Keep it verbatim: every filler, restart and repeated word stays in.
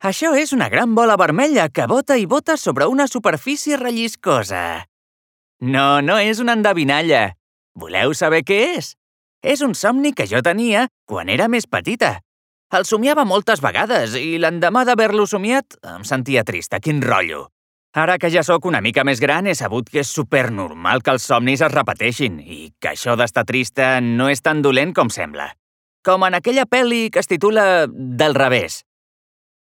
Això és una gran bola vermella que bota i bota sobre una superfície relliscosa. No, no és una endevinalla. Voleu saber què és? És un somni que jo tenia quan era més petita. El somiava moltes vegades i l'endemà d'haver-lo somiat em sentia trista, quin rotllo. Ara que ja sóc una mica més gran he sabut que és supernormal que els somnis es repeteixin i que això d'estar trista no és tan dolent com sembla. Com en aquella pel·li que es titula Del revés.